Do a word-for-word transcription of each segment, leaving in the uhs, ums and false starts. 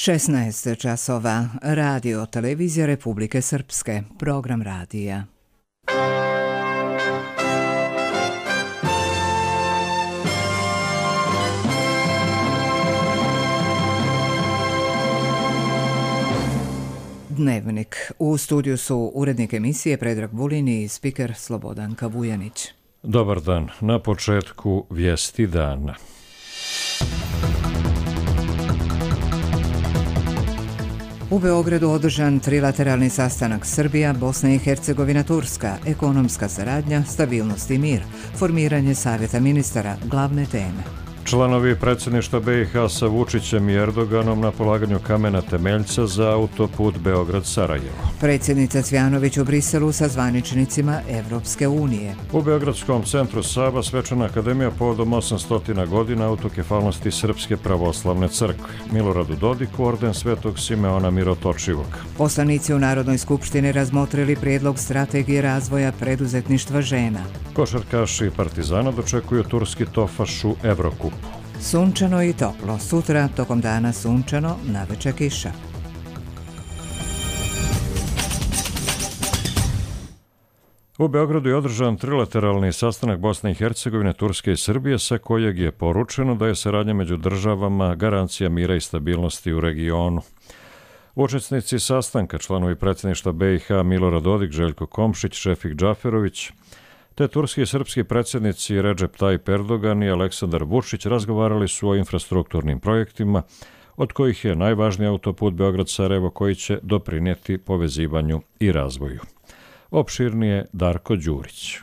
šesnaest časova. Radio Televizija Republike Srpske. Program radija. Dnevnik. U studiju su urednik emisije Predrag Vulin i spiker Slobodanka Vujanić. Dobar dan. Na početku vijesti dana. U Beogradu održan trilateralni sastanak Srbija, Bosna i Hercegovina, Turska, ekonomska saradnja, stabilnost i mir, formiranje savjeta ministara, glavne teme. Članovi predsjedništva B i H sa Vučićem i Erdoganom na polaganju kamena temeljca za autoput Beograd-Sarajevo. Predsjednica Cvjanović u Briselu sa zvaničnicima Evropske unije. U Beogradskom centru Saba svečana akademija povodom osamsto godina autokefalnosti Srpske pravoslavne crkve. Miloradu Dodiku orden Svetog Simeona Mirotočivog. Poslanici u Narodnoj skupštini razmotrili prijedlog strategije razvoja preduzetništva žena. Košarkaši Partizana dočekuju turski Tofaš u Evrokupu. Sunčano i toplo. Sutra tokom dana sunčano, navečer kiša. U Beogradu je održan trilateralni sastanak Bosne i Hercegovine, Turske i Srbije, sa kojeg je poručeno da je saradnja među državama garancija mira i stabilnosti u regionu. Učesnici sastanka, članovi predsjedništva B i H Milorad Dodik, Željko Komšić, Šefik Džaferović, te turski i srpski predsjednici Recep Tayyip Erdogan i Aleksandar Vučić razgovarali su o infrastrukturnim projektima, od kojih je najvažniji autoput Beograd-Sarajevo koji će doprinijeti povezivanju i razvoju. Opširnije Darko Đurić.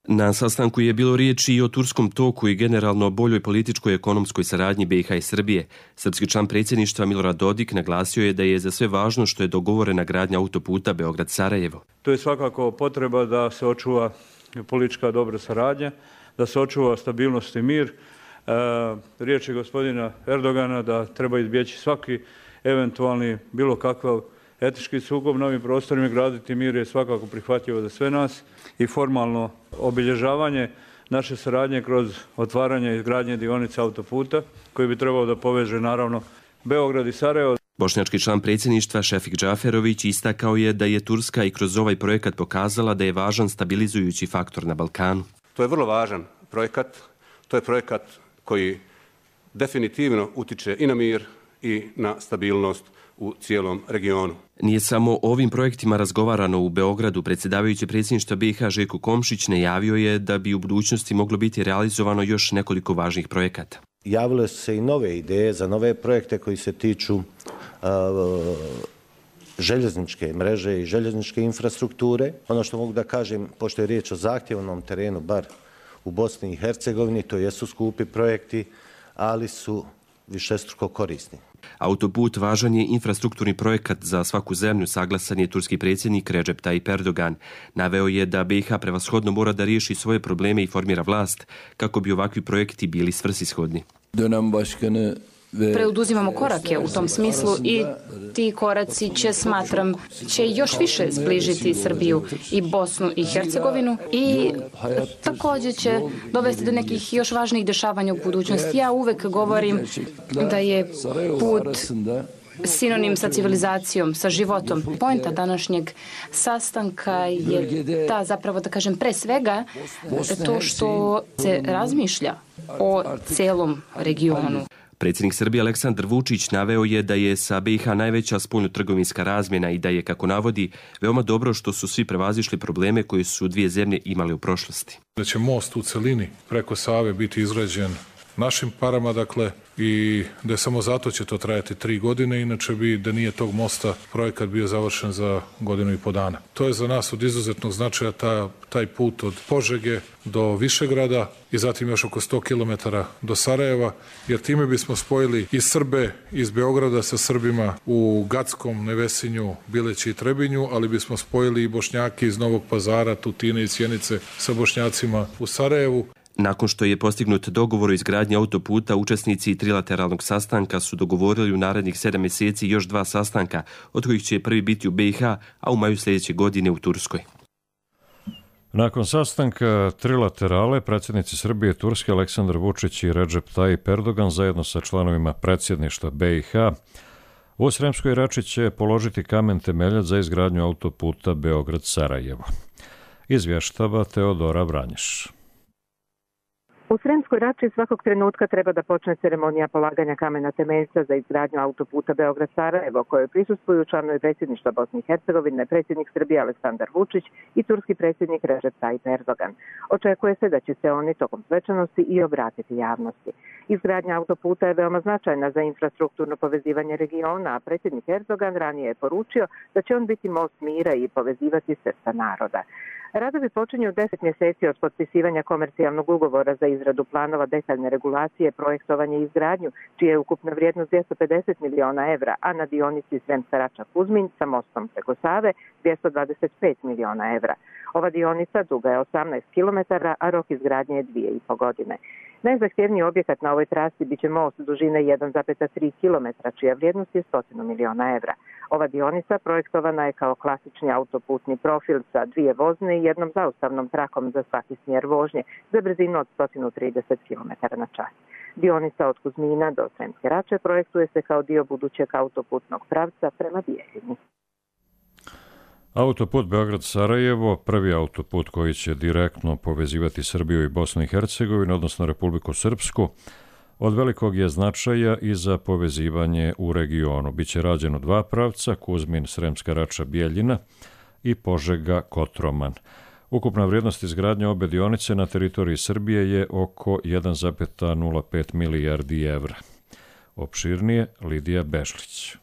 Na sastanku je bilo riječi i o turskom toku i generalno boljoj političkoj i ekonomskoj saradnji B i H i Srbije. Srpski član predsjedništva Milorad Dodik naglasio je da je za sve važno što je dogovorena gradnja autoputa Beograd-Sarajevo. To je svakako potreba da se očuva politička dobra saradnja, da se očuva stabilnost i mir. E, riječ je gospodina Erdogana da treba izbjeći svaki eventualni bilo kakav etički sukob na ovim prostorima, graditi mir je svakako prihvatljivo za sve nas i formalno obilježavanje naše saradnje kroz otvaranje i izgradnje dionica autoputa koji bi trebao da poveže naravno Beograd i Sarajevo. Bošnjački član predsjedništva Šefik Džaferović istakao je da je Turska i kroz ovaj projekat pokazala da je važan stabilizujući faktor na Balkanu. To je vrlo važan projekat, to je projekat koji definitivno utiče i na mir i na stabilnost u cijelom regionu. Nije samo o ovim projektima razgovarano u Beogradu. Predsjedavajući predsjedništva B i H Željko Komšić najavio je da bi u budućnosti moglo biti realizovano još nekoliko važnih projekata. Javile su se i nove ideje za nove projekte koji se tiču uh, željezničke mreže i željezničke infrastrukture. Ono što mogu da kažem, pošto je riječ o zahtjevnom terenu, bar u Bosni i Hercegovini, to jesu skupi projekti, ali su višestruko korisni. Autoput važan je infrastrukturni projekat za svaku zemlju, saglasan je turski predsjednik Recep Tayyip Erdogan. Naveo je da B i H prevashodno mora da riješi svoje probleme i formira vlast kako bi ovakvi projekti bili svrsishodni. Dönem başkanı Preuduzimamo korake u tom smislu i ti koraci će, smatram, će još više zbližiti Srbiju i Bosnu i Hercegovinu i također će dovesti do nekih još važnijih dešavanja u budućnosti. Ja uvek govorim da je put sinonim sa civilizacijom, sa životom. Pointa današnjeg sastanka je ta, zapravo da kažem, pre svega to što se razmišlja o celom regionu. Predsjednik Srbije Aleksandar Vučić naveo je da je sa B i H najveća spoljnotrgovinska razmjena i da je, kako navodi, veoma dobro što su svi prevazišli probleme koje su dvije zemlje imale u prošlosti. Da će most u celini preko Save biti izgrađen našim parama, dakle, i da je samo zato će to trajati tri godine, inače bi, da nije tog mosta, projekat bio završen za godinu i po dana. To je za nas od izuzetnog značaja ta, taj put od Požege do Višegrada i zatim još oko sto kilometara do Sarajeva, jer time bismo spojili i Srbe iz Beograda sa Srbima u Gackom, Nevesinju, Bileći i Trebinju, ali bismo spojili i Bošnjake iz Novog Pazara, Tutine i Sjenice sa Bošnjacima u Sarajevu. Nakon što je postignut dogovor o izgradnji autoputa, učesnici trilateralnog sastanka su dogovorili u narednih sedam mjeseci još dva sastanka, od kojih će prvi biti u B i H, a u maju sljedeće godine u Turskoj. Nakon sastanka trilaterale, predsjednici Srbije i Turske Aleksandar Vučić i Recep Tayyip Erdogan zajedno sa članovima predsjedništva B i H U Sremskoj Rači će položiti kamen temeljac za izgradnju autoputa Beograd-Sarajevo. Izvještava Teodora Vranješ. U Sremskoj Rači svakog trenutka treba da počne ceremonija polaganja kamena temeljca za izgradnju autoputa Beograd-Sarajevo, kojoj prisustvuju članovi predsjedništva Bosne i Hercegovine, predsjednik Srbije Aleksandar Vučić i turski predsjednik Recep Tayyip Erdogan. Očekuje se da će se oni tokom svečanosti i obratiti javnosti. Izgradnja autoputa je veoma značajna za infrastrukturno povezivanje regiona, a predsjednik Erdogan ranije je poručio da će on biti most mira i povezivati srca naroda. Radovi počinju deset mjeseci od potpisivanja komercijalnog ugovora za izradu planova detaljne regulacije, projektovanje i izgradnju, čija je ukupna vrijednost dvjesto pedeset miliona evra, a na dionici Sremska Rača-Kuzmin sa mostom preko Save dvjesto dvadeset pet miliona evra. Ova dionica duga je osamnaest kilometara, a rok izgradnje je dvije i po godine. Najzahtjevniji objekat na ovoj trasi biće most dužine jedan zarez tri kilometra, čija vrijednost je sto miliona evra. Ova dionica projektovana je kao klasični autoputni profil sa dvije vozne i jednom zaustavnom trakom za svaki smjer vožnje za brzinu od sto trideset kilometara na čas. Dionica od Kuzmina do Sremske Rače projektuje se kao dio budućeg autoputnog pravca prema Bijeljini. Autoput Beograd-Sarajevo, prvi autoput koji će direktno povezivati Srbiju i Bosnu i Hercegovinu, odnosno Republiku Srpsku, od velikog je značaja i za povezivanje u regionu. Biće rađeno dva pravca, Kuzmin, Sremska Rača, Bijeljina i Požega, Kotroman. Ukupna vrijednost izgradnje obe dionice na teritoriji Srbije je oko jedan zarez nula pet milijardi evra. Opširnije Lidija Bešlić.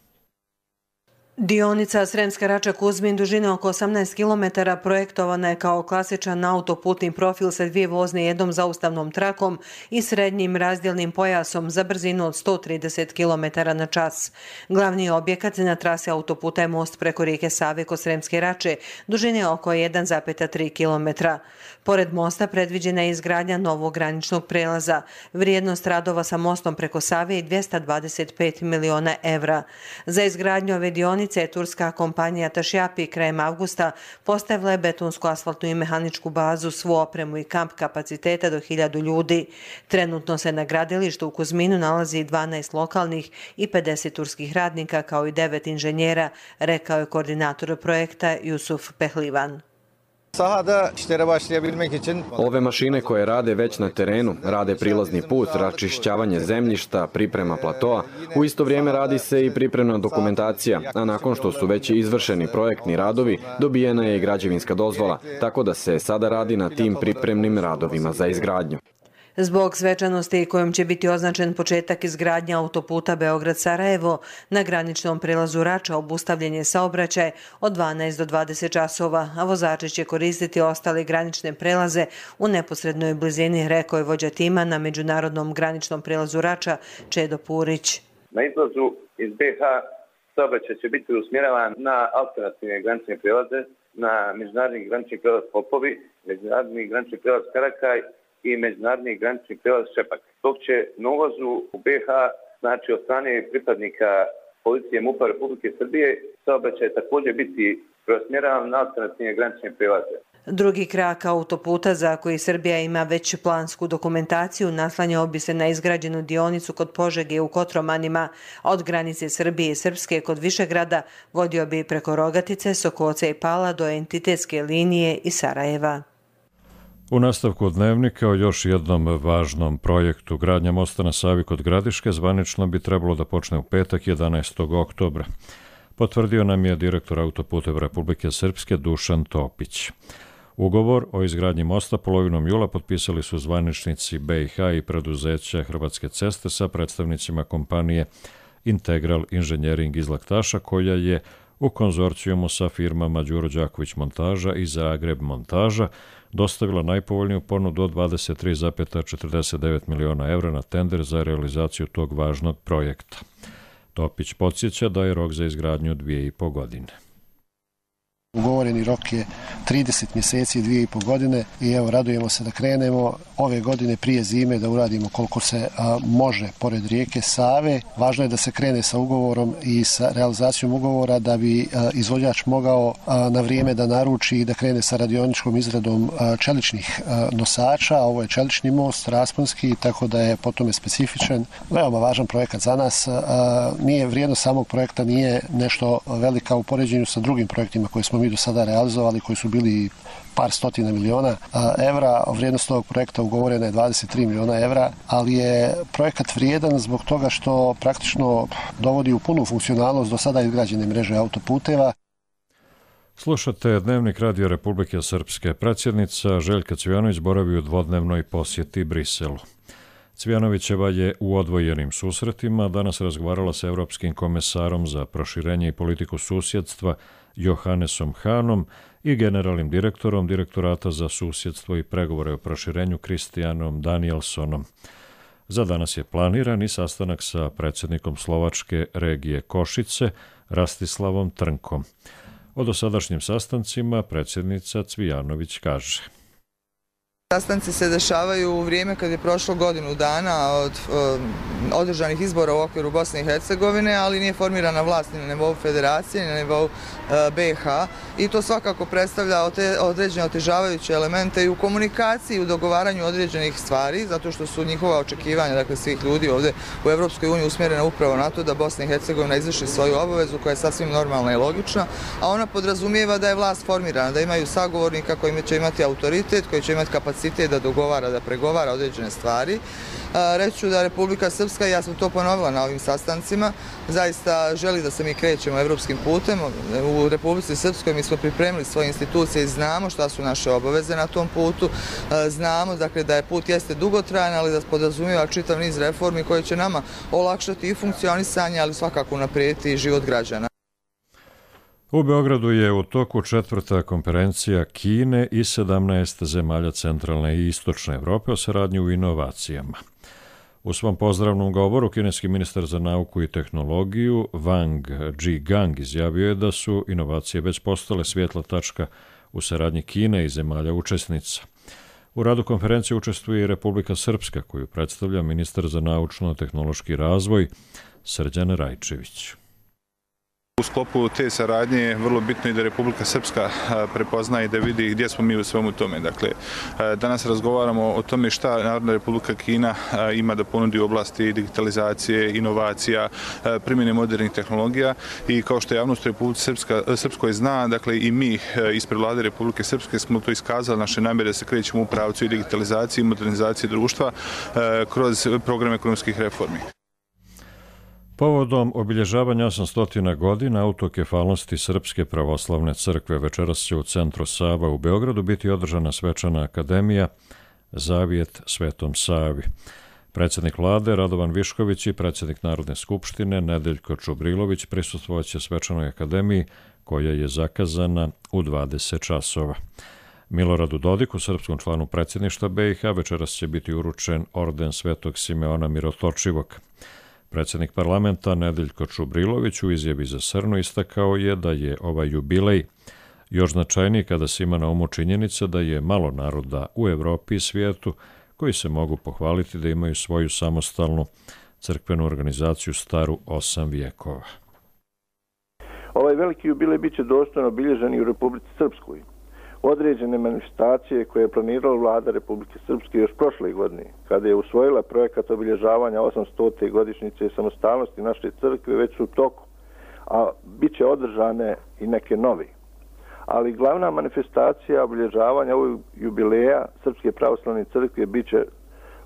Dionica Sremska Rača-Kuzmin dužine oko osamnaest kilometara projektovana je kao klasičan autoputni profil sa dvije vozne i jednom zaustavnom trakom i srednjim razdjelnim pojasom za brzinu od sto trideset kilometara na čas. Glavni objekat na trasi autoputa je most preko rijeke Save kod Sremske Rače, dužine oko jedan zarez tri kilometra. Pored mosta predviđena je izgradnja novog graničnog prelaza. Vrijednost radova sa mostom preko Save je dvjesto dvadeset pet miliona evra. Za izgradnju ove dionice je turska kompanija Tašjapi krajem avgusta postavila je betonsku, asfaltnu i mehaničku bazu, svu opremu i kamp kapaciteta do hiljadu ljudi. Trenutno se na gradilištu u Kuzminu nalazi dvanaest lokalnih i pedeset turskih radnika kao i devet inženjera, rekao je koordinator projekta Jusuf Pehlivan. Ove mašine koje rade već na terenu, rade prilazni put, račišćavanje zemljišta, priprema platoa, u isto vrijeme radi se i pripremna dokumentacija, a nakon što su već izvršeni projektni radovi, dobijena je i građevinska dozvola, tako da se sada radi na tim pripremnim radovima za izgradnju. Zbog svečanosti kojom će biti označen početak izgradnje autoputa Beograd-Sarajevo, na graničnom prelazu Rača obustavljen je saobraćaj od dvanaest do dvadeset časova, a vozači će koristiti ostale granične prelaze u neposrednoj blizini, rekao je vođa tima na međunarodnom graničnom prelazu Rača, Čedo Purić. Na izlazu iz be ha saobraćaj će biti usmjeravan na alternativne granične prelaze, na međunarodni granični prelaz Popovi, međunarodni granični prelaz Karakaj i međunarodni granični prelaz Šepak. Dok će na ulazu u be ha, znači od strane pripadnika policije MUP-a Republike Srbije, saobraćaj također biti preusmjeravan na alternativne granične prelaze. Drugi krak autoputa, za koji Srbija ima već plansku dokumentaciju, naslanjao bi se na izgrađenu dionicu kod Požege u Kotromanima, a od granice Srbije i Srpske kod Višegrada vodio bi preko Rogatice, Sokoca i Pala do entitetske linije i Sarajeva. U nastavku dnevnika o još jednom važnom projektu gradnja mosta na Savi kod Gradiške zvanično bi trebalo da počne u petak jedanaestog oktobra. Potvrdio nam je direktor Autoputeva Republike Srpske Dušan Topić. Ugovor o izgradnji mosta polovinom jula potpisali su zvaničnici be i ha i preduzeća Hrvatske ceste sa predstavnicima kompanije Integral Inženjering iz Laktaša, koja je u konzorcijumu sa firmama Đuro Đaković montaža i Zagreb montaža dostavila najpovoljniju ponudu od dvadeset tri zarez četrdeset devet miliona evra na tender za realizaciju tog važnog projekta. Topić podsjeća da je rok za izgradnju dvije i po godine. Ugovoreni rok je trideset mjeseci i dvije i pol godine i evo radujemo se da krenemo ove godine prije zime da uradimo koliko se a, može pored rijeke Save. Važno je da se krene sa ugovorom i sa realizacijom ugovora da bi a, izvođač mogao a, na vrijeme da naruči i da krene sa radioničkom izradom a, čeličnih a, nosača. Ovo je čelični most, rasponski, tako da je po tome specifičan. Veoma važan projekat za nas. A, nije vrijednost samog projekta nije nešto velika u poređenju sa drugim projektima koje smo mi do sada realizovali, koji su bili par stotina miliona evra. Vrijednost ovog projekta ugovorena je dvadeset tri miliona evra, ali je projekat vrijedan zbog toga što praktično dovodi u punu funkcionalnost do sada izgrađene mreže autoputeva. Slušate Dnevnik Radio Republike Srpske. Predsjednica Željka Cvijanović boravi u dvodnevnoj posjeti Briselu. Cvijanovićeva je u odvojenim susretima danas razgovarala sa Evropskim komesarom za proširenje i politiku susjedstva Johannesom Hanom i generalnim direktorom Direktorata za susjedstvo i pregovore o proširenju Kristijanom Danielsonom. Za danas je planiran i sastanak sa predsjednikom Slovačke regije Košice, Rastislavom Trnkom. O dosadašnjim sastancima predsjednica Cvijanović kaže: Sastanci se dešavaju u vrijeme kad je prošlo godinu dana od um, održanih izbora u okviru Bosne i Hercegovine, ali nije formirana vlast ni na nivou federacije, ni na nivou uh, B i H i to svakako predstavlja ote, određene otežavajuće elemente i u komunikaciji i u dogovaranju određenih stvari, zato što su njihova očekivanja, dakle svih ljudi ovdje u Evropskoj uniji usmjerena upravo na to da Bosna i Hercegovina izvrši svoju obavezu koja je sasvim normalna i logična, a ona podrazumijeva da je vlast formirana, da imaju sagovornika koji će imati autoritet, koji će imati kapacitet da dogovara, da pregovara određene stvari. Reći ću da Republika Srpska, ja sam to ponovila na ovim sastancima, zaista želi da se mi krećemo evropskim putem. U Republici Srpskoj mi smo pripremili svoje institucije i znamo šta su naše obaveze na tom putu. Znamo dakle, da je put jeste dugotrajan, ali da podrazumijeva čitav niz reformi koje će nama olakšati i funkcionisanje, ali svakako unaprijediti i život građana. U Beogradu je u toku četvrta konferencija Kine i sedamnaest zemalja centralne i istočne Evrope o saradnji u inovacijama. U svom pozdravnom govoru kineski ministar za nauku i tehnologiju Wang Zhigang izjavio je da su inovacije već postale svjetla tačka u saradnji Kine i zemalja učesnica. U radu konferencije učestvuje i Republika Srpska, koju predstavlja ministar za naučno-tehnološki razvoj Srđan Rajčević. U sklopu te saradnje je vrlo bitno i da Republika Srpska prepozna i da vidi gdje smo mi u svemu tome. Dakle, danas razgovaramo o tome šta Narodna Republika Kina ima da ponudi u oblasti digitalizacije, inovacija, primjene modernih tehnologija i kao što javnost u Republici Srpska, Srpskoj zna, dakle i mi ispred vlade Republike Srpske smo to iskazali naše namjere da se krećemo u pravcu i digitalizacije i modernizacije društva kroz program ekonomskih reformi. Povodom obilježavanja osamsto godina autokefalnosti Srpske pravoslavne crkve večeras će u centru Sava u Beogradu biti održana svečana akademija Zavjet Svetom Savi. Predsjednik vlade Radovan Višković i predsjednik Narodne skupštine Nedeljko Čubrilović prisustvovaće svečanoj akademiji koja je zakazana u dvadeset časova. Miloradu Dodiku, srpskom članu predsjedništva B i H, večeras će biti uručen orden Svetog Simeona Mirotočivog. Predsjednik parlamenta Nedeljko Čubrilović u izjavi za Srnu istakao je da je ovaj jubilej još značajniji kada se ima na umu činjenica da je malo naroda u Evropi i svijetu koji se mogu pohvaliti da imaju svoju samostalnu crkvenu organizaciju staru osam vijekova. Ovaj veliki jubilej bit će dostojno obilježen i u Republici Srpskoj. Određene manifestacije koje je planirala vlada Republike Srpske još prošle godine, kada je usvojila projekat obilježavanja osamstote godišnjice samostalnosti naše crkve, već su u toku, a bit će održane i neke nove. Ali glavna manifestacija obilježavanja ovog jubileja Srpske pravoslavne crkve bit će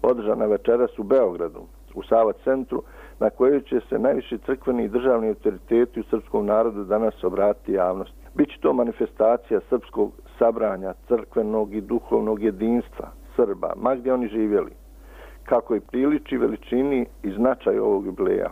održana večeras u Beogradu, u Sava centru, na kojoj će se najviši crkveni i državni autoriteti u srpskom narodu danas obratiti javnosti. Biće to manifestacija srpskog sabranja, crkvenog i duhovnog jedinstva Srba, ma gdje oni živjeli, kako i priliči veličini i značaju ovog jubileja.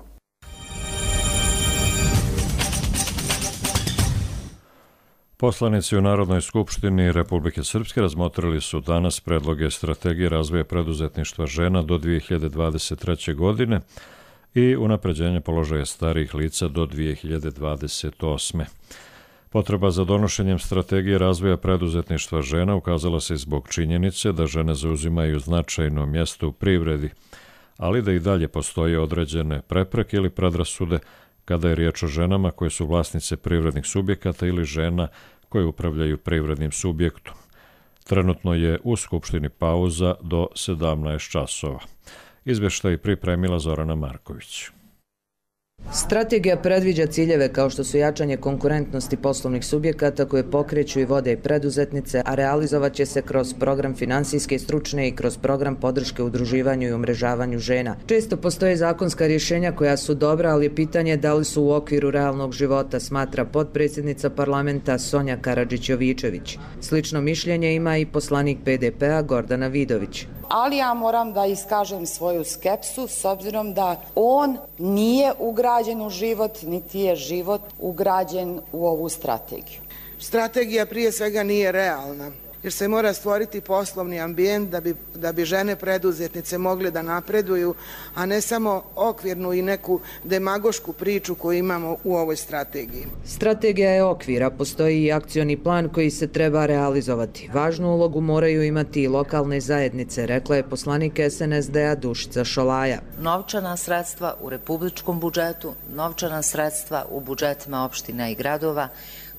Poslanici u Narodnoj skupštini Republike Srpske razmotrili su danas predloge strategije razvoja preduzetništva žena do dvije hiljade dvadeset treće. godine i unapređenje položaja starijih lica do dvije hiljade dvadeset osme. Potreba za donošenjem strategije razvoja preduzetništva žena ukazala se zbog činjenice da žene zauzimaju značajno mjesto u privredi, ali da i dalje postoje određene prepreke ili predrasude kada je riječ o ženama koje su vlasnice privrednih subjekata ili žena koje upravljaju privrednim subjektom. Trenutno je u Skupštini pauza do sedamnaest časova. Izvještaj pripremila Zorana Marković. Strategija predviđa ciljeve kao što su jačanje konkurentnosti poslovnih subjekata koje pokreću i vode i preduzetnice, a realizovat će se kroz program finansijske i stručne i kroz program podrške udruživanju i umrežavanju žena. Često postoje zakonska rješenja koja su dobra, ali je pitanje da li su u okviru realnog života, smatra potpredsjednica parlamenta Sonja Karadžić-Jovičević. Slično mišljenje ima i poslanik P D P-a Gordana Vidović. Ali ja moram da iskažem svoju skepsu s obzirom da on nije ugrađen u život, niti je život ugrađen u ovu strategiju. Strategija prije svega nije realna, jer se mora stvoriti poslovni ambijent da bi, da bi žene preduzetnice mogle da napreduju, a ne samo okvirnu i neku demagošku priču koju imamo u ovoj strategiji. Strategija je okvir, a postoji i akcioni plan koji se treba realizovati. Važnu ulogu moraju imati i lokalne zajednice, rekla je poslanik S N S D-a Dušica Šolaja. Novčana sredstva u republičkom budžetu, novčana sredstva u budžetima opština i gradova,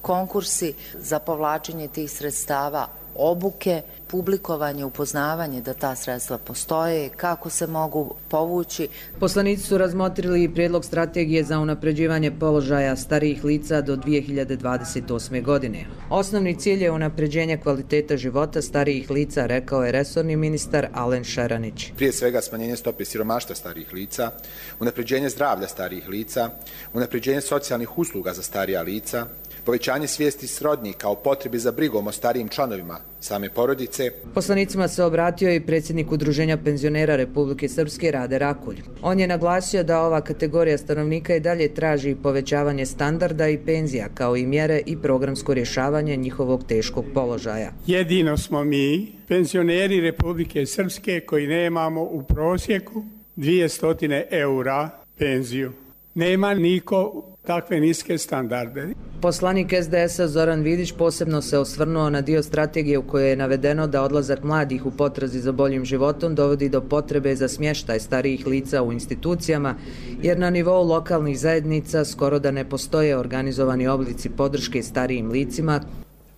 konkursi za povlačenje tih sredstava, obuke, publikovanje, upoznavanje da ta sredstva postoje, kako se mogu povući. Poslanici su razmotrili i prijedlog strategije za unapređivanje položaja starijih lica do dvije hiljade dvadeset osme. godine. Osnovni cilj je unapređenje kvaliteta života starijih lica, rekao je resorni ministar Alen Šeranić. Prije svega smanjenje stope siromaštva starijih lica, unapređenje zdravlja starijih lica, unapređenje socijalnih usluga za starija lica, povećanje svijesti srodnika o potrebi za brigom o starijim članovima same porodice. Poslanicima se obratio i predsjednik Udruženja penzionera Republike Srpske Rade Rakulj. On je naglasio da ova kategorija stanovnika i dalje traži povećavanje standarda i penzija, kao i mjere i programsko rješavanje njihovog teškog položaja. Jedino smo mi, penzioneri Republike Srpske, koji nemamo u prosjeku dvjesto eura penziju. Nema niko takve niske standarde. Poslanik S D S-a Zoran Vidić posebno se osvrnuo na dio strategije u kojoj je navedeno da odlazak mladih u potrazi za boljim životom dovodi do potrebe za smještaj starijih lica u institucijama, jer na nivou lokalnih zajednica skoro da ne postoje organizovani oblici podrške starijim licima.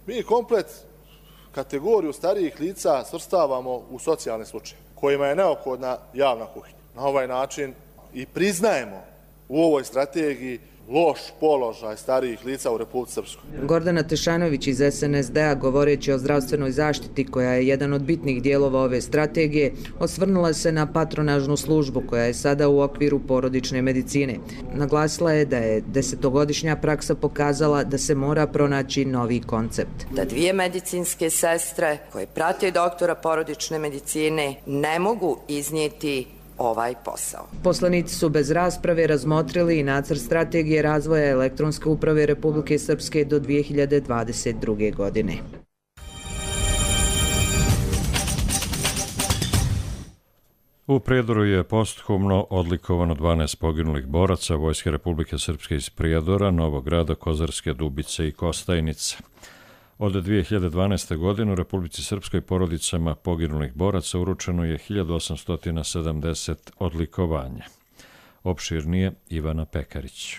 Mi komplet kategoriju starijih lica svrstavamo u socijalne slučaje, kojima je neophodna javna kuhinja. Na ovaj način i priznajemo u ovoj strategiji loš položaj starijih lica u Republici Srpskoj. Gordana Tešanović iz S N S D-a, govoreći o zdravstvenoj zaštiti koja je jedan od bitnih dijelova ove strategije, osvrnula se na patronažnu službu koja je sada u okviru porodične medicine. Naglasila je da je desetogodišnja praksa pokazala da se mora pronaći novi koncept. Da dvije medicinske sestre koje prate doktora porodične medicine ne mogu iznijeti ovaj posao. Poslanici su bez rasprave razmotrili i nacrt strategije razvoja elektronske uprave Republike Srpske do dvije hiljade dvadeset druge. godine. U Prijedoru je posthumno odlikovano dvanaest poginulih boraca Vojske Republike Srpske iz Prijedora, Novog Grada, Kozarske Dubice i Kostajnice. Od dvije hiljade dvanaeste. godine u Republici Srpskoj porodicama poginulih boraca uručeno je hiljadu osamsto sedamdeset odlikovanja. Opširnije Ivana Pekarić.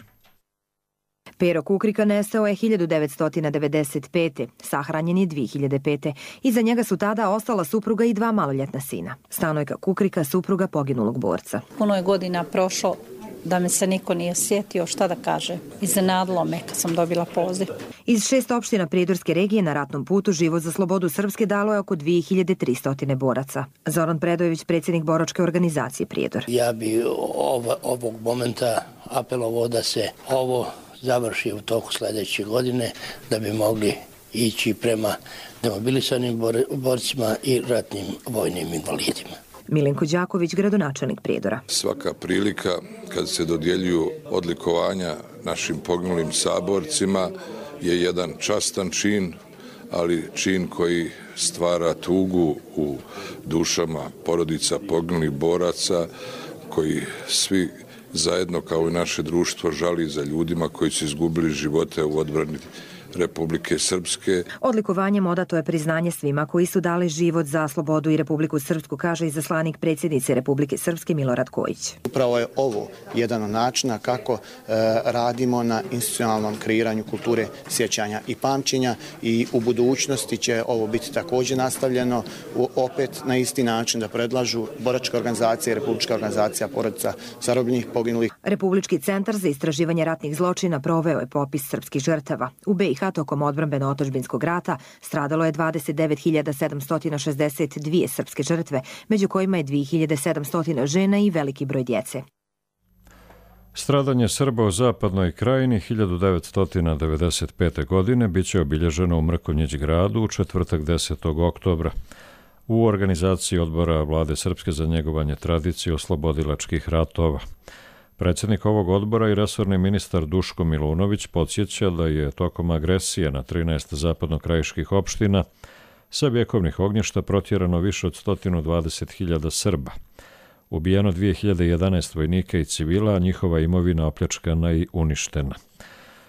Pero Kukrika nestao je hiljadu devetsto devedeset pete. Sahranjen je dvije hiljade pete. Iza njega su tada ostala supruga i dva maloljetna sina. Stanojka Kukrika, supruga poginulog borca. Puno je godina prošlo da me se niko nije sjetio šta da kaže. Iznenadilo me kad sam dobila poziv. Iz šest opština Prijedorske regije na ratnom putu život za slobodu Srpske dalo je oko dvije hiljade tristo boraca. Zoran Predojević, predsjednik boračke organizacije Prijedor. Ja bi ov, ovog momenta apelovao da se ovo završi u toku sljedeće godine, da bi mogli ići prema demobilisanim bor, borcima i ratnim vojnim invalidima. Milenko Đaković, gradonačelnik Prijedora. Svaka prilika kad se dodjeljuju odlikovanja našim poginulim saborcima je jedan častan čin, ali čin koji stvara tugu u dušama porodica poginulih boraca, koji svi zajedno kao i naše društvo žali za ljudima koji su izgubili živote u odbrani Republike Srpske. Odlikovanjem odato je priznanje svima koji su dali život za slobodu i Republiku Srpsku, kaže izaslanik predsjednice Republike Srpske Milorad Kojić. Upravo je ovo jedan od načina kako e, radimo na institucionalnom kreiranju kulture sjećanja i pamćenja i u budućnosti će ovo biti također nastavljeno u, opet na isti način da predlažu boračka organizacija i Republička organizacija porodica zarobljenih poginulih. Republički centar za istraživanje ratnih zločina proveo je popis srpskih žrtava. U B i H tokom odbrambeno-otadžbinskog rata stradalo je dvadeset devet hiljada sedamsto šezdeset dvije srpske žrtve, među kojima je dvije hiljade sedamsto žena i veliki broj djece. Stradanje Srba u Zapadnoj Krajini hiljadu devetsto devedeset pete. godine biće obilježeno u Mrkonjić gradu u četvrtak desetog oktobra. U organizaciji odbora Vlade Srpske za njegovanje tradicije oslobodilačkih ratova. Predsjednik ovog odbora i resorni ministar Duško Milunović podsjeća da je tokom agresije na trinaest zapadnokrajiških opština sa vjekovnih ognjišta protjerano više od sto dvadeset hiljada Srba. Ubijeno dvije hiljade jedanaest vojnika i civila, a njihova imovina opljačkana i uništena.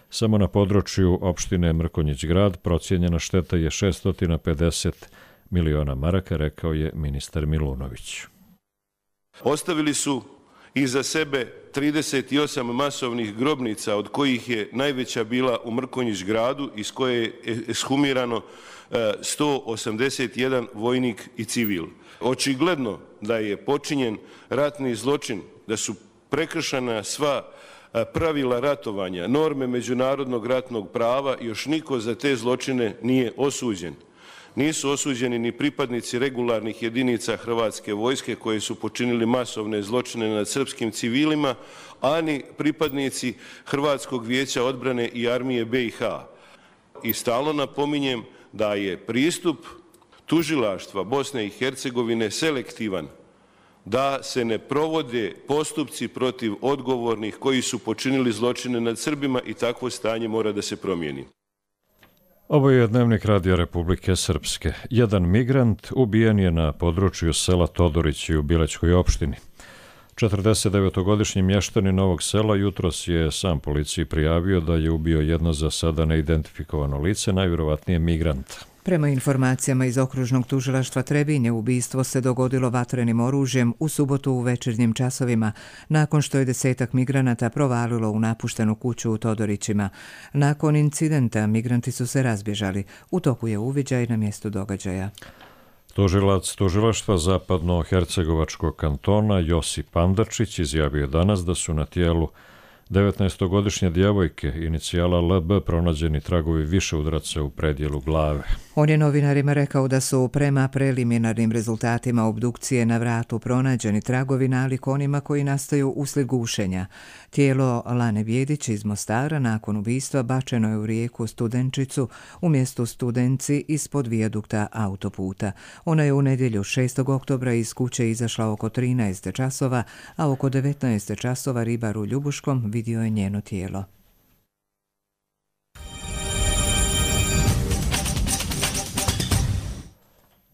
Samo na području opštine Mrkonjić grad procijenjena šteta je šesto pedeset miliona maraka, rekao je ministar Milunović. Ostavili su iza sebe trideset osam masovnih grobnica, od kojih je najveća bila u Mrkonjić gradu, iz koje je ekshumirano sto osamdeset jedan vojnik i civil. Očigledno da je počinjen ratni zločin, da su prekršena sva pravila ratovanja, norme međunarodnog ratnog prava, još niko za te zločine nije osuđen. Nisu osuđeni ni pripadnici regularnih jedinica Hrvatske vojske koji su počinili masovne zločine nad srpskim civilima, ani pripadnici Hrvatskog vijeća odbrane i armije B i H. I stalno napominjem da je pristup tužilaštva Bosne i Hercegovine selektivan, da se ne provode postupci protiv odgovornih koji su počinili zločine nad Srbima i takvo stanje mora da se promijeni. Ovo je dnevnik Radija Republike Srpske. Jedan migrant ubijen je na području sela Todorići u Bilećkoj opštini. četrdesetdevetogodišnji mještanin Novog Sela jutros je sam policiji prijavio da je ubio jedno za sada neidentifikovano lice, najvjerovatnije migrant. Prema informacijama iz okružnog tužilaštva Trebinje, ubistvo se dogodilo vatrenim oružjem u subotu u večernjim časovima, nakon što je desetak migranata provalilo u napuštenu kuću u Todorićima. Nakon incidenta migranti su se razbježali. U toku je uviđaj na mjestu događaja. Tužilac tužilaštva Zapadno-Hercegovačkog kantona Josip Pandačić izjavio danas da su na tijelu devetnaestogodišnje djevojke inicijala L B pronađeni tragovi više udaraca u predjelu glave. On je novinarima rekao da su prema preliminarnim rezultatima obdukcije na vratu pronađeni tragovi nalik onima koji nastaju uslijed gušenja. Tijelo Lane Bjedić iz Mostara nakon ubistva bačeno je u rijeku Studenčicu u mjestu Studenci ispod vijadukta autoputa. Ona je u nedjelju šestog oktobra iz kuće izašla oko trinaest časova, a oko devetnaest časova ribar u Ljubuškom vidio je njeno tijelo.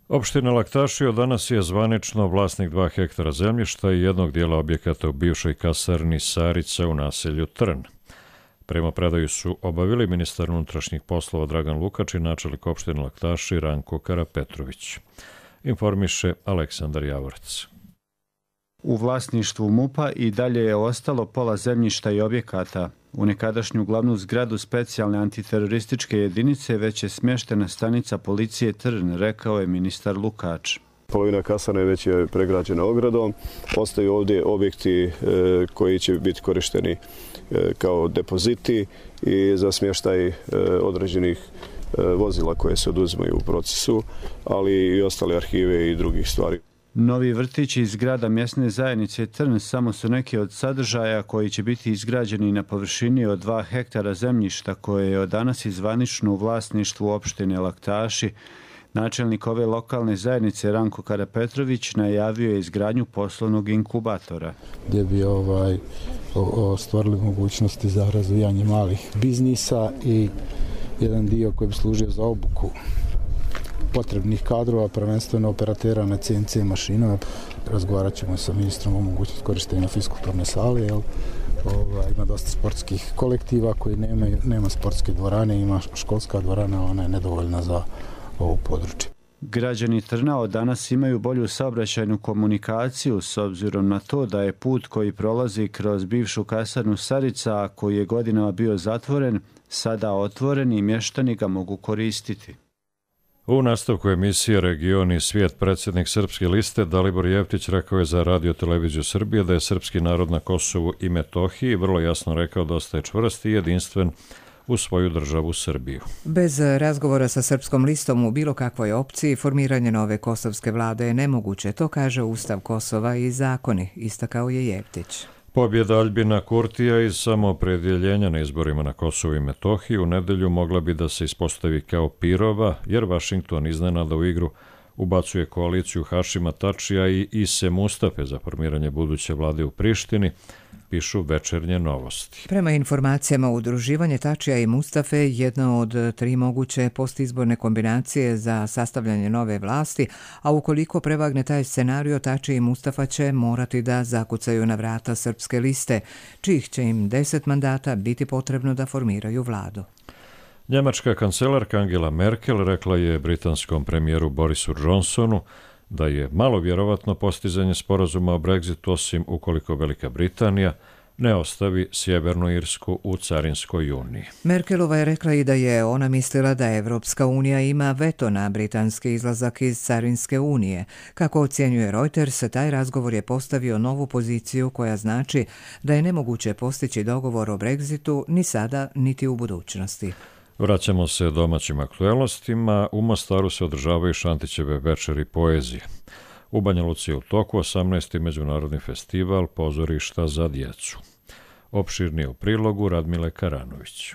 Opština Laktašio danas je zvanično vlasnik dva hektara zemljišta i jednog dijela objekata u bivšoj kasarni Sarica u naselju Trn. Prema predaju su obavili ministar unutrašnjih poslova Dragan Lukač i načelnik opštine Laktaši Ranko Karapetrović. Informiše Aleksandar Javorac. U vlasništvu MUP-a i dalje je ostalo pola zemljišta i objekata. U nekadašnju glavnu zgradu specijalne antiterorističke jedinice već je smještena stanica policije Trn, rekao je ministar Lukač. Polovina kasarne već je pregrađena ogradom. Ostaju ovdje objekti e, koji će biti korišteni e, kao depoziti i za smještaj e, određenih e, vozila koje se oduzimaju u procesu, ali i ostale arhive i drugih stvari. Novi vrtići iz zgrada mjesne zajednice Trn samo su neki od sadržaja koji će biti izgrađeni na površini od dva hektara zemljišta koje je od danas izvanično u vlasništvu opštine Laktaši. Načelnik ove lokalne zajednice Ranko Karapetrović najavio je izgradnju poslovnog inkubatora. Gdje bi ovaj, stvorili mogućnosti za razvijanje malih biznisa i jedan dio koji bi služio za obuku potrebnih kadrova, prvenstveno operatera na C N C mašinama. Razgovarat ćemo sa ministrom o mogućnosti korištenja fiskulturne sale, jel, Ovaj, ima dosta sportskih kolektiva koji nemaju, nema sportske dvorane, ima školska dvorana, ona je nedovoljna za ovo područje. Građani Trnava danas imaju bolju saobraćajnu komunikaciju s obzirom na to da je put koji prolazi kroz bivšu kasarnu Sarica, a koji je godinama bio zatvoren, sada otvoren i mještani ga mogu koristiti. U nastavku emisije Region i svijet predsjednik Srpske liste Dalibor Jeftić rekao je za Radio Televiziju Srbije da je srpski narod na Kosovu i Metohiji vrlo jasno rekao da ostaje čvrst i jedinstven u svoju državu Srbiju. Bez razgovora sa Srpskom listom u bilo kakvoj opciji formiranje nove kosovske vlade je nemoguće, to kaže Ustav Kosova i zakoni, istakao je Jeftić. Pobjeda Aljbina Kurtija iz samoopredjeljenja na izborima na Kosovu i Metohiji u nedelju mogla bi da se ispostavi kao pirova, jer Vašington iznenada u igru ubacuje koaliciju Hašima Tačija i Ise Mustafe za formiranje buduće vlade u Prištini, pišu Večernje novosti. Prema informacijama udruživanje Tačija i Mustafe je jedna od tri moguće postizborne kombinacije za sastavljanje nove vlasti, a ukoliko prevagne taj scenario, Tačija i Mustafa će morati da zakucaju na vrata Srpske liste, čijih će im deset mandata biti potrebno da formiraju vladu. Njemačka kancelarka Angela Merkel rekla je britanskom premijeru Borisu Johnsonu da je malo vjerovatno postizanje sporazuma o Brexitu, osim ukoliko Velika Britanija ne ostavi Sjevernu Irsku u Carinskoj uniji. Merkelova je rekla i da je ona mislila da Evropska unija ima veto na britanski izlazak iz Carinske unije. Kako ocjenjuje Reuters, taj razgovor je postavio novu poziciju koja znači da je nemoguće postići dogovor o Brexitu ni sada niti u budućnosti. Vraćamo se domaćim aktuelnostima. U Mostaru se održavaju Šantićeve večeri poezije. U Banja Luci je u toku osamnaesti međunarodni festival pozorišta za djecu. Opširnije u prilogu Radmile Karanović.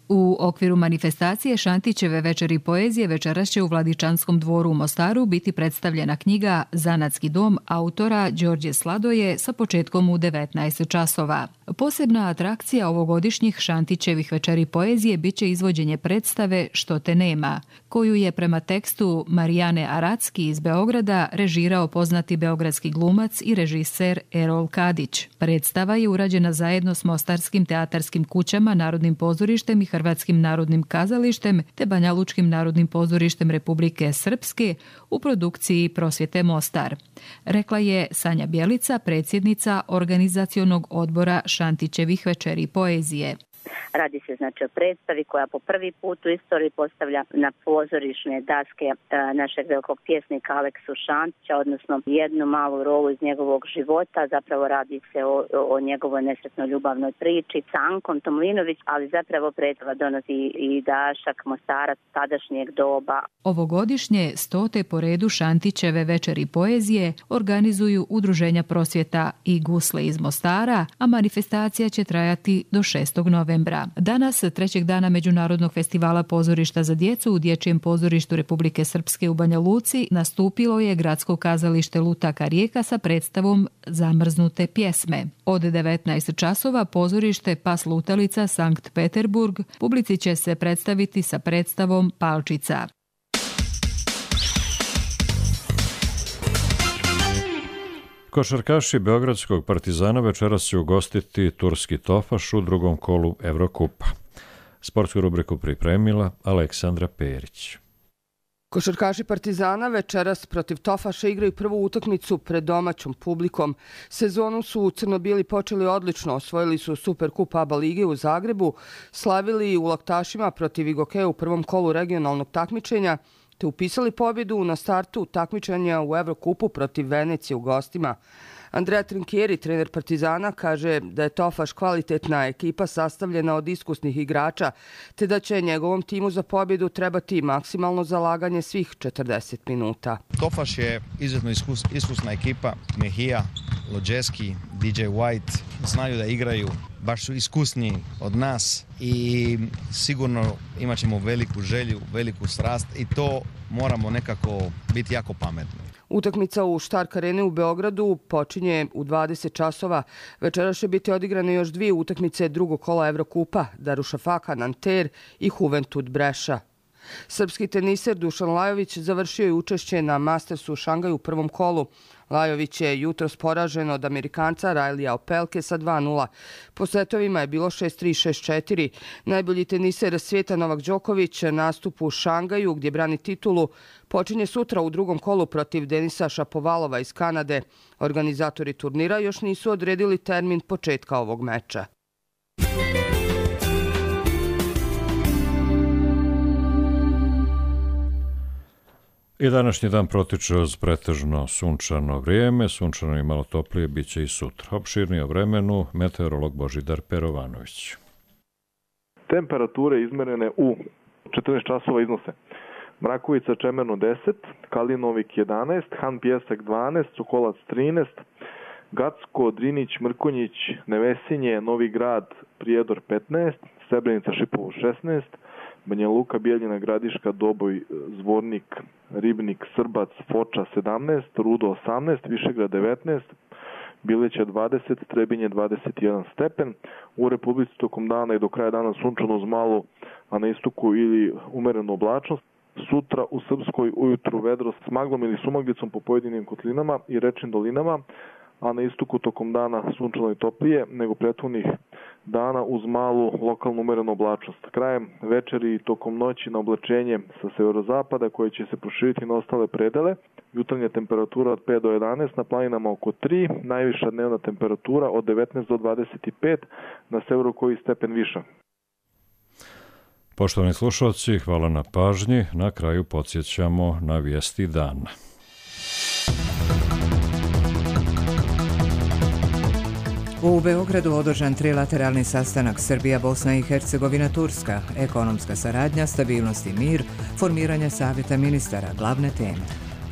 U okviru manifestacije Šantićeve večeri poezije večeras će u Vladičanskom dvoru u Mostaru biti predstavljena knjiga Zanatski dom autora Đorđe Sladoje sa početkom u devetnaest časova. Posebna atrakcija ovogodišnjih Šantićevih večeri poezije biće izvođenje predstave Što te nema, koju je prema tekstu Marijane Aracki iz Beograda režirao poznati beogradski glumac i režiser Erol Kadić. Predstava je urađena zajedno s Mostarskim teatarskim kućama, Narodnim pozorištem i Hrvatskim narodnim kazalištem te Banjalučkim narodnim pozorištem Republike Srpske u produkciji Prosvjete Mostar. Rekla je Sanja Bjelica, predsjednica organizacionog odbora Šantićevih večeri poezije. Radi se znači o predstavi koja po prvi put u istoriji postavlja na pozorišne daske našeg velikog pjesnika Aleksu Šantića, odnosno jednu malu rolu iz njegovog života. Zapravo radi se o, o njegovoj nesretnoj ljubavnoj priči s Ankom Tomlinović, ali zapravo predstava donosi i dašak Mostarac tadašnjeg doba. Ovogodišnje stote po redu Šantićeve večeri poezije organizuju Udruženja prosvjeta i Gusle iz Mostara, a manifestacija će trajati do šestog novembra. Danas, trećeg dana Međunarodnog festivala pozorišta za djecu u Dječjem pozorištu Republike Srpske u Banja Luci, nastupilo je Gradsko kazalište Lutaka Rijeka sa predstavom Zamrznute pjesme. Od devetnaest časova pozorište Pas Lutalica Sankt Peterburg publici će se predstaviti sa predstavom Palčica. Košarkaši Beogradskog Partizana večeras će ugostiti turski Tofaš u drugom kolu Evrokupa. Sportsku rubriku pripremila Aleksandra Perić. Košarkaši Partizana večeras protiv Tofaša igraju prvu utakmicu pred domaćom publikom. Sezonu su u Crnobili počeli odlično, osvojili su Superkup A B A lige u Zagrebu, slavili u Laktašima protiv Igokeja u prvom kolu regionalnog takmičenja, te upisali pobjedu na startu takmičenja u Evrokupu protiv Venecije u gostima. Andrea Trinkieri, trener Partizana, kaže da je Tofaš kvalitetna ekipa sastavljena od iskusnih igrača, te da će njegovom timu za pobjedu trebati maksimalno zalaganje svih četrdeset minuta. Tofaš je izuzetno iskus, iskusna ekipa. Mejia, Lođeski, D J White znaju da igraju, baš su iskusni od nas i sigurno imat ćemo veliku želju, veliku strast i to moramo nekako biti jako pametni. Utakmica u Štark Areni u Beogradu počinje u dvadeset časova. Večeras će biti odigrane još dvije utakmice drugog kola Evrokupa, Darušafaka Nanter i Juventud Breša. Srpski teniser Dušan Lajović završio je učešće na Mastersu u Šangaju u prvom kolu. Lajović je jutros poražen od Amerikanca Rajlija Opelke sa dva nula. Po setovima je bilo šest tri šest četiri. Najbolji teniser svijeta Novak Đoković nastup u Šangaju gdje brani titulu počinje sutra u drugom kolu protiv Denisa Šapovalova iz Kanade. Organizatori turnira još nisu odredili termin početka ovog meča. I današnji dan protiče uz pretežno sunčano vrijeme, sunčano i malo toplije bit će i sutra. Opširnije o vremenu meteorolog Božidar Perovanović. Temperature izmerene u četrnaest časova iznose Mrakovica Čemerno deset, Kalinovik jedanaest, Han Pjesak dvanaest, Sokolac trinaest, Gacko, Drinić, Mrkonjić, Nevesinje, Novi Grad, Prijedor petnaest, Srebrenica Šipovo šesnaest, Banja Luka, Bijeljina, Gradiška, Doboj, Zvornik, Ribnik, Srbac, Foča sedamnaest, Rudo osamnaest, Višegrad devetnaest, Bileća dvadeset, Trebinje dvadeset jedan stepen. U Republici tokom dana i do kraja dana sunčano uz malo, a na istoku ili umerenu oblačnost. Sutra u Srpskoj ujutru vedro s maglom ili sumaglicom po pojedinim kotlinama i rečnim dolinama, a na istoku tokom dana sunčano i toplije nego prethodnih dana uz malu lokalnu umerenu oblačnost. Krajem večeri i tokom noći na oblačenje sa severozapada koje će se proširiti na ostale predele. Jutarnja temperatura od pet do jedanaest, na planinama oko tri, najviša dnevna temperatura od devetnaest do dvadeset pet, na severu koji stepen viša. Poštovani slušalci, hvala na pažnji. Na kraju podsjećamo na vijesti dana. U Beogradu održan trilateralni sastanak Srbija, Bosna i Hercegovina, Turska, ekonomska saradnja, stabilnost i mir, formiranje savjeta ministara, glavne teme.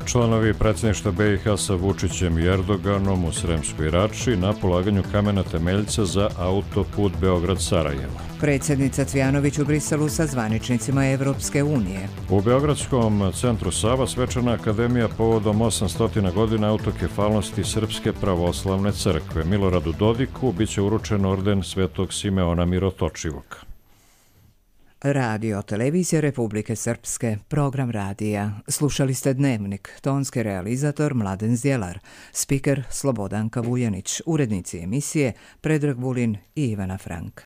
Članovi predsjedništva B i H sa Vučićem i Erdoganom u Sremskoj Rači na polaganju kamena temeljca za autoput Beograd-Sarajevo. Predsjednica Cvjanović u Briselu sa zvaničnicima Evropske unije. U Beogradskom centru Sava svečana akademija povodom osamsto godina autokefalnosti Srpske pravoslavne crkve. Miloradu Dodiku biće uručen orden Svetog Simeona Mirotočivog. Radio Televizija Republike Srpske, program radija. Slušali ste Dnevnik, tonski realizator Mladen Zdjelar, spiker Slobodanka Vujanić, urednici emisije Predrag Vulin i Ivana Frank.